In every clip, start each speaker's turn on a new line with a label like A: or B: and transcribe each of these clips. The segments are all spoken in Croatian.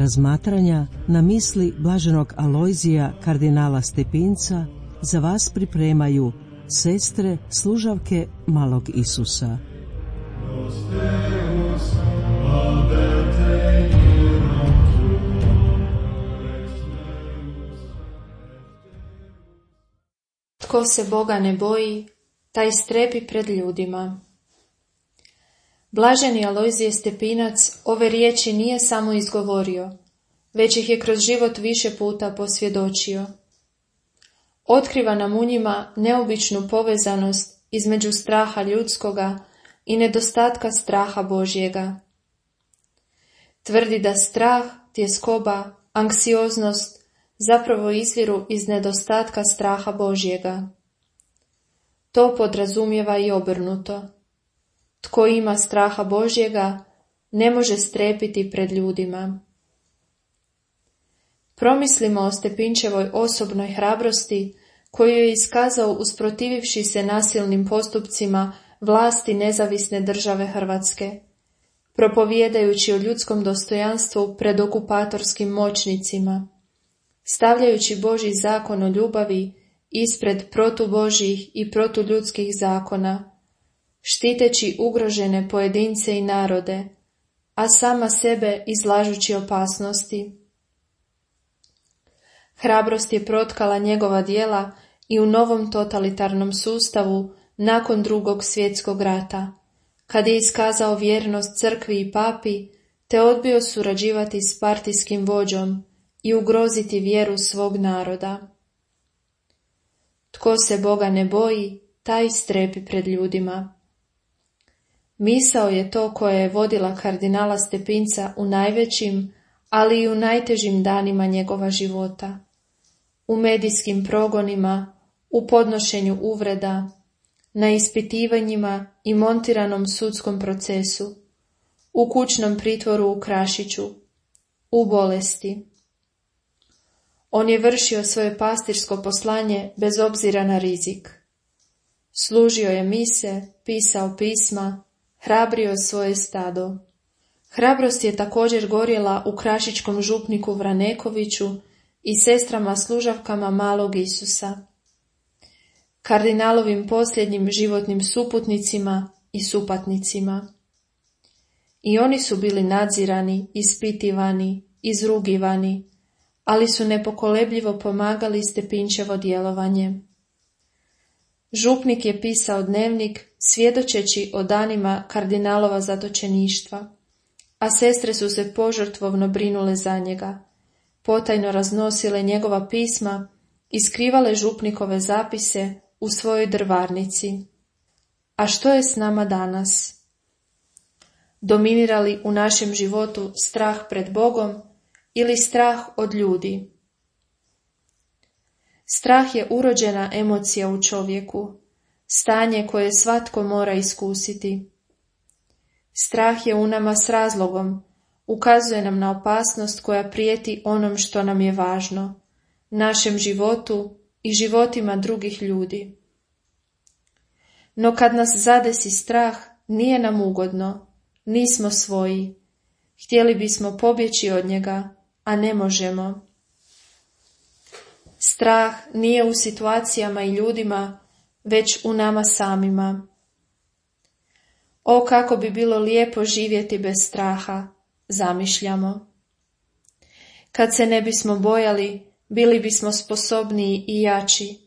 A: razmatranja na misli blaženog Alojzija kardinala Stepinca za vas pripremaju sestre služavke malog Isusa.
B: Tko se Boga ne boji, taj strepi pred ljudima. Blaženi Alojzije Stepinac ove riječi nije samo izgovorio, već ih je kroz život više puta posvjedočio. Otkriva nam u njima neobičnu povezanost između straha ljudskoga i nedostatka straha Božjega. Tvrdi da strah, tjeskoba, anksioznost zapravo izviru iz nedostatka straha Božjega. To podrazumijeva i obrnuto. Tko ima straha Božjega, ne može strepiti pred ljudima. Promislimo o Stepinčevoj osobnoj hrabrosti koju je iskazao usprotivivši se nasilnim postupcima vlasti nezavisne države Hrvatske, propovijedajući o ljudskom dostojanstvu pred okupatorskim moćnicima, stavljajući Božji zakon o ljubavi ispred protubožjih i protuljudskih zakona, štiteći ugrožene pojedince i narode, a sama sebe izlažući opasnosti. Hrabrost je protkala njegova djela i u novom totalitarnom sustavu nakon Drugog svjetskog rata, kad je iskazao vjernost crkvi i papi, te odbio surađivati s partijskim vođom i ugroziti vjeru svog naroda. Tko se Boga ne boji, taj strepi pred ljudima. Misao je to koja je vodila kardinala Stepinca u najvećim, ali i u najtežim danima njegova života. U medijskim progonima, u podnošenju uvreda, na ispitivanjima i montiranom sudskom procesu, u kućnom pritvoru u Krašiću, u bolesti. On je vršio svoje pastirsko poslanje bez obzira na rizik. Služio je mise, pisao pisma, hrabrio svoje stado. Hrabrost je također gorjela u krašičkom župniku Vranekoviću i sestrama služavkama malog Isusa, kardinalovim posljednjim životnim suputnicima i supatnicima. I oni su bili nadzirani, ispitivani, izrugivani, ali su nepokolebljivo pomagali Stepinčevo djelovanje. Župnik je pisao dnevnik svjedočeći o danima kardinalova zatočeništva, a sestre su se požrtvovno brinule za njega, potajno raznosile njegova pisma i skrivale župnikove zapise u svojoj drvarnici. A što je s nama danas? Dominira li u našem životu strah pred Bogom ili strah od ljudi? Strah je urođena emocija u čovjeku, stanje koje svatko mora iskusiti. Strah je u nama s razlogom, ukazuje nam na opasnost koja prijeti onom što nam je važno, našem životu i životima drugih ljudi. No kad nas zadesi strah, nije nam ugodno, nismo svoji, htjeli bismo pobjeći od njega, a ne možemo. Strah nije u situacijama i ljudima, već u nama samima. O, kako bi bilo lijepo živjeti bez straha, zamišljamo. Kad se ne bismo bojali, bili bismo sposobniji i jači,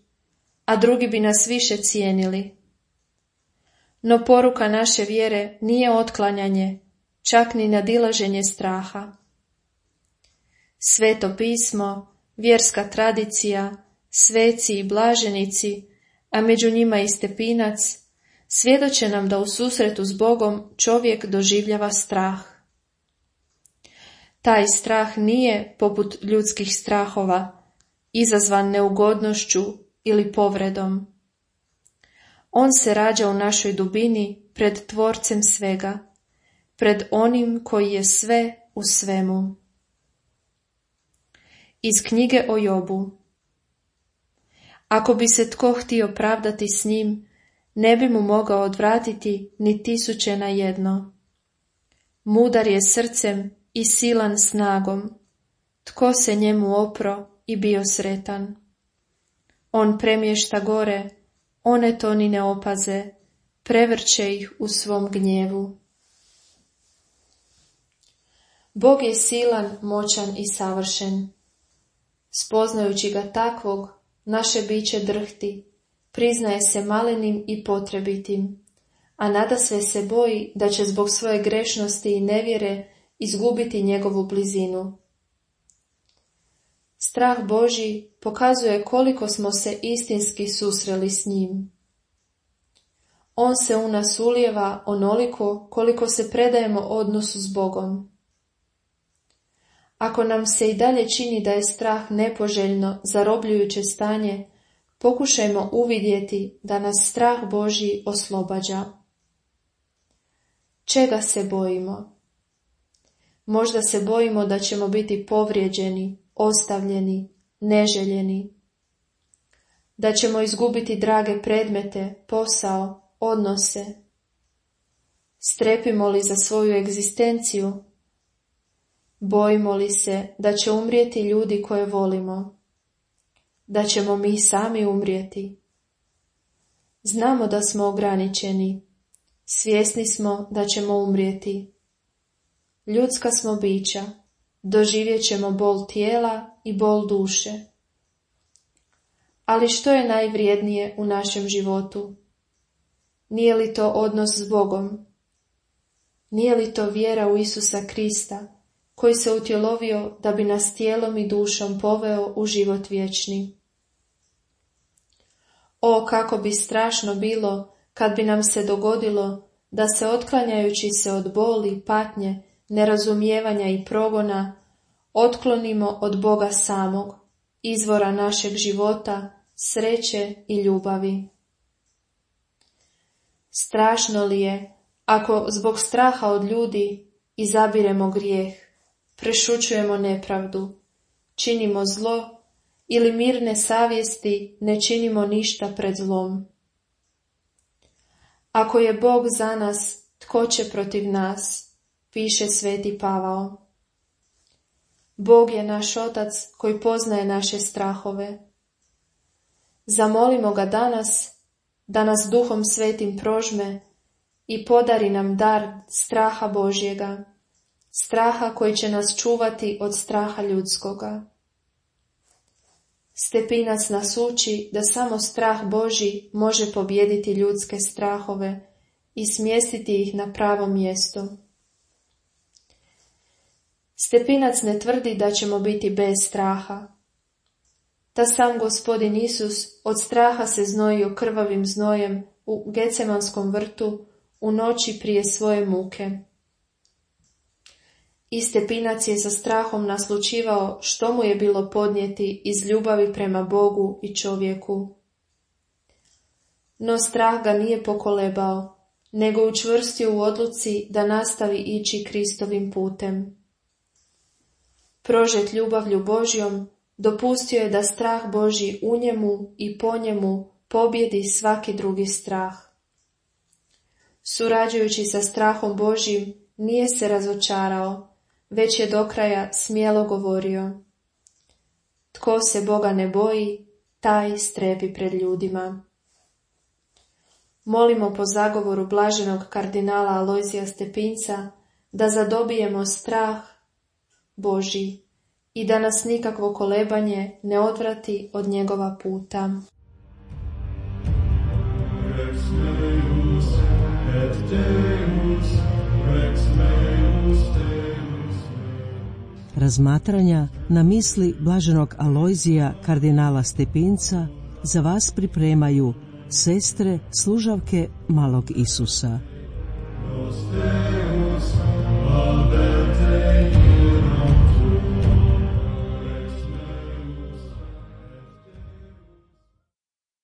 B: a drugi bi nas više cijenili. No poruka naše vjere nije otklanjanje, čak ni nadilaženje straha. Sveto pismo, vjerska tradicija, sveci i blaženici, a među njima i Stepinac, svjedoče nam da u susretu s Bogom čovjek doživljava strah. Taj strah nije, poput ljudskih strahova, izazvan neugodnošću ili povredom. On se rađa u našoj dubini pred Tvorcem svega, pred onim koji je sve u svemu. Iz knjige o Jobu. Ako bi se tko htio pravdati s njim, ne bi mu mogao odvratiti ni 1000 na jedno. Mudar je srcem i silan snagom, tko se njemu opro i bio sretan. On premješta gore, one to ni ne opaze, prevrće ih u svom gnjevu. Bog je silan, moćan i savršen. Spoznajući ga takvog, naše biće drhti, priznaje se malenim i potrebitim, a nadasve se boji da će zbog svoje grešnosti i nevjere izgubiti njegovu blizinu. Strah Božji pokazuje koliko smo se istinski susreli s njim. On se u nas ulijeva onoliko koliko se predajemo odnosu s Bogom. Ako nam se i dalje čini da je strah nepoželjno, zarobljujuće stanje, pokušajmo uvidjeti da nas strah Božji oslobađa. Čega se bojimo? Možda se bojimo da ćemo biti povrijeđeni, ostavljeni, neželjeni, da ćemo izgubiti drage predmete, posao, odnose. Strepimo li za svoju egzistenciju? Bojimo li se da će umrijeti ljudi koje volimo? Da ćemo mi sami umrijeti? Znamo da smo ograničeni. Svjesni smo da ćemo umrijeti. Ljudska smo bića. Doživjet ćemo bol tijela i bol duše. Ali što je najvrijednije u našem životu? Nije li to odnos s Bogom? Nije li to vjera u Isusa Krista, koji se utjelovio da bi nas tijelom i dušom poveo u život vječni? O, kako bi strašno bilo kad bi nam se dogodilo da se, otklanjajući se od boli, patnje, nerazumijevanja i progona, otklonimo od Boga samog, izvora našeg života, sreće i ljubavi. Strašno li je ako zbog straha od ljudi izabiremo grijeh, prešućujemo nepravdu, činimo zlo ili mirne savjesti ne činimo ništa pred zlom? Ako je Bog za nas, tko će protiv nas, piše sveti Pavao. Bog je naš Otac koji poznaje naše strahove. Zamolimo ga danas da nas Duhom Svetim prožme i podari nam dar straha Božjega, straha koji će nas čuvati od straha ljudskoga. Stepinac nas uči da samo strah Božji može pobijediti ljudske strahove i smjestiti ih na pravo mjesto. Stepinac ne tvrdi da ćemo biti bez straha. Ta sam Gospodin Isus od straha se znojio krvavim znojem u Gecemanskom vrtu u noći prije svoje muke. I Stepinac je sa strahom naslućivao što mu je bilo podnijeti iz ljubavi prema Bogu i čovjeku. No strah ga nije pokolebao, nego učvrstio u odluci da nastavi ići Kristovim putem. Prožet ljubavlju Božjom, dopustio je da strah Božji u njemu i po njemu pobjedi svaki drugi strah. Surađujući sa strahom Božjim, nije se razočarao, već je do kraja smjelo govorio: tko se Boga ne boji, taj strepi pred ljudima. Molimo po zagovoru blaženog kardinala Alojzija Stepinca da zadobijemo strah Božji i da nas nikakvo kolebanje ne odvrati od njegova puta.
C: Rex meus, et Deus, Rex meus, Deus.
A: Razmatranja na misli blaženog Alojzija kardinala Stepinca za vas pripremaju sestre služavke malog Isusa.
C: Deus, Deus,